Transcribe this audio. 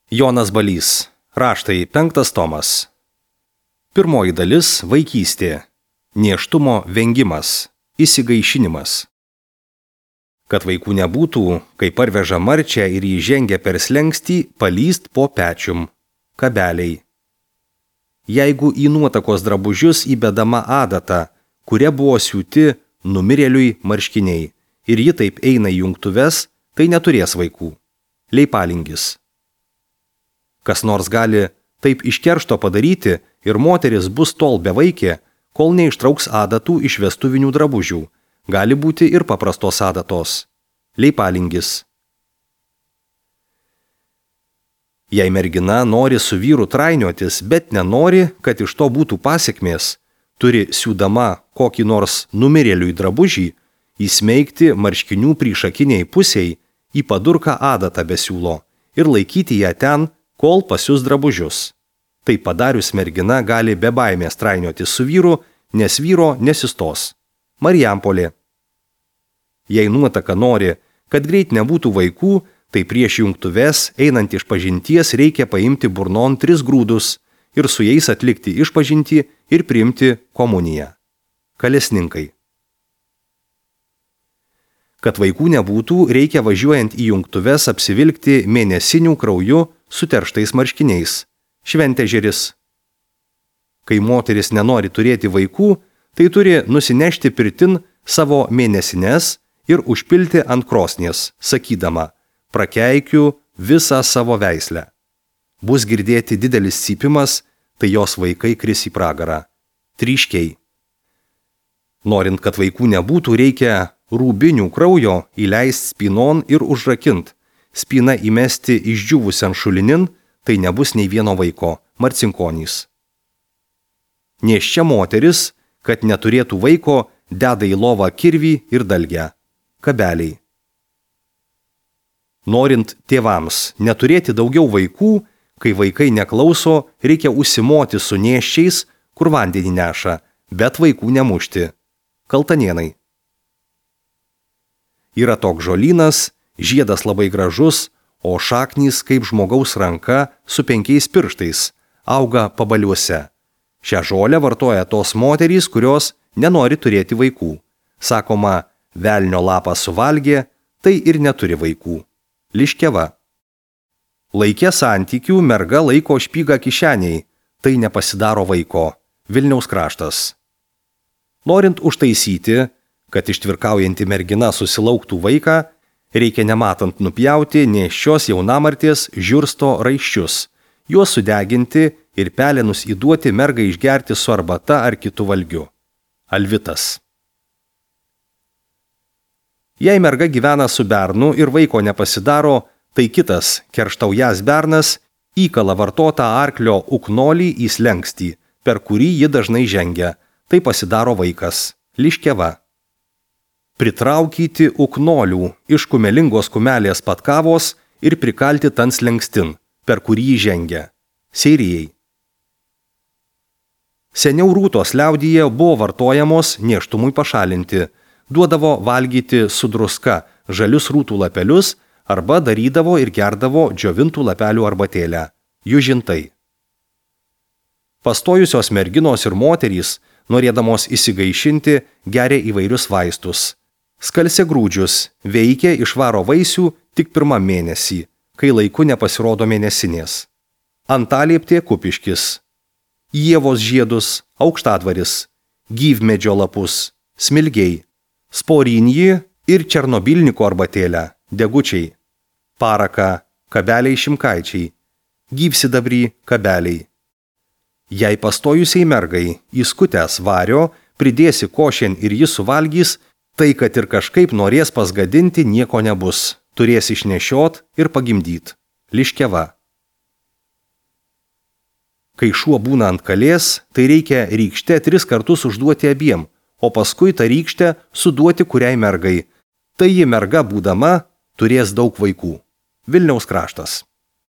Jonas Balys. Raštai 5 tomas. Pirmoji dalis – vaikystė. Nėštumo vengimas. Įsigaišinimas. Kad vaikų nebūtų, kai parveža marčią ir jį žengia per slengstį, palyst po pečium. Kabeliai. Jeigu į nuotakos drabužius įbedama adata, kuria buvo siūti numirėliui marškiniai, ir ji taip eina į jungtuves, tai neturės vaikų. Leipalingis. Kas nors gali taip iš keršto padaryti ir moteris bus tol bevaikė, kol neištrauks adatų iš vestuvinių drabužių. Gali būti ir paprastos adatos. Leipalingis. Jei mergina nori su vyru trainiotis, bet nenori, kad iš to būtų pasekmės, turi siūdama kokį nors numirėliui drabužį, įsmeigti marškinių priešakiniai pusiai į padurką adatą be siūlo ir laikyti ją ten, kol pasius drabužius. Tai padarius mergina gali be baimės trainiotis su vyru, nes vyro nesistos. Marijampolė. Jei nuotaka nori, kad greit nebūtų vaikų, tai prieš jungtuves einant išpažinties reikia paimti burnon 3 grūdus ir su jais atlikti išpažintį ir priimti komuniją. Kalesninkai. Kad vaikų nebūtų, reikia važiuojant į jungtuves apsivilkti mėnesinių krauju suterštais marškiniais. Šventežeris. Kai moteris nenori turėti vaikų, tai turi nusinešti pirtin savo mėnesines ir užpilti ant krosnies, sakydama, prakeikiu visą savo veislę. Bus girdėti didelis cypimas, tai jos vaikai kris į pragarą. Tryškiai. Norint, kad vaikų nebūtų, reikia rūbinių kraujo įleisti spynon ir užrakint. Spyną įmesti išdžiūvusian šulinin, tai nebus nei vieno vaiko. Marcinkonys. Nėščia moteris, kad neturėtų vaiko, deda į lovą kirvį ir dalgę. Kabeliai. Norint tėvams neturėti daugiau vaikų, kai vaikai neklauso, reikia užsimoti su nėščiais, kur vandenį neša, bet vaikų nemušti. Kaltanėnai. Yra toks žolynas, žiedas labai gražus, o šaknys kaip žmogaus ranka su 5 pirštais, auga pabaliuose. Šią žolę vartoja tos moterys, kurios nenori turėti vaikų. Sakoma, velnio lapą suvalgė, tai ir neturi vaikų. Liškiava. Laike santykių merga laiko špygą kišeniai, tai nepasidaro vaiko. Vilniaus kraštas. Norint užtaisyti, kad ištvirkaujanti mergina susilauktų vaiką, reikia nematant nupjauti nėščios jaunamartės žiursto raiščius, juos sudeginti ir pelenus įduoti mergai išgerti su arbata ar kitu valgiu. Alvitas. Jei merga gyvena su bernu ir vaiko nepasidaro, tai kitas, kerštaujas bernas, įkala vartotą arklio uknolį į slengstį, per kurį ji dažnai žengia, tai pasidaro vaikas. Liškiava. Pritraukyti uknolių iš kumelingos kumelės patkavos ir prikalti tan slengstin, per kurį jį žengia. Seirijai. Seniau rūtos liaudyje buvo vartojamos nėštumui pašalinti, duodavo valgyti su druska žalius rūtų lapelius arba darydavo ir gerdavo džiovintų lapelių arbatėlę. Južintai. Pastojusios merginos ir moterys, norėdamos įsigaišinti, geria įvairius vaistus. Skalsiagrūdžius veikia išvaro vaisių tik 1 mėnesį, kai laiku nepasirodo mėnesinės. Antalieptė kupiškis. Ievos žiedus, aukštadvaris, gyvmedžio lapus, smilgiai, sporinjį ir černobilniko arbatėlę, degučiai, paraka, kabeliai šimkaičiai, gyvsidabrį, kabeliai. Jei pastojusiai mergai įskutęs vario, pridėsi košen ir jis suvalgys, tai kad ir kažkaip norės pasgadinti nieko nebus, turės išnešiot ir pagimdyt. Liškiava. Kai šuo būna ant kalės, tai reikia rykštę 3 kartus užduoti abiem, o paskui tą rykštę suduoti kuriai mergai. Tai ji merga būdama turės daug vaikų. Vilniaus kraštas.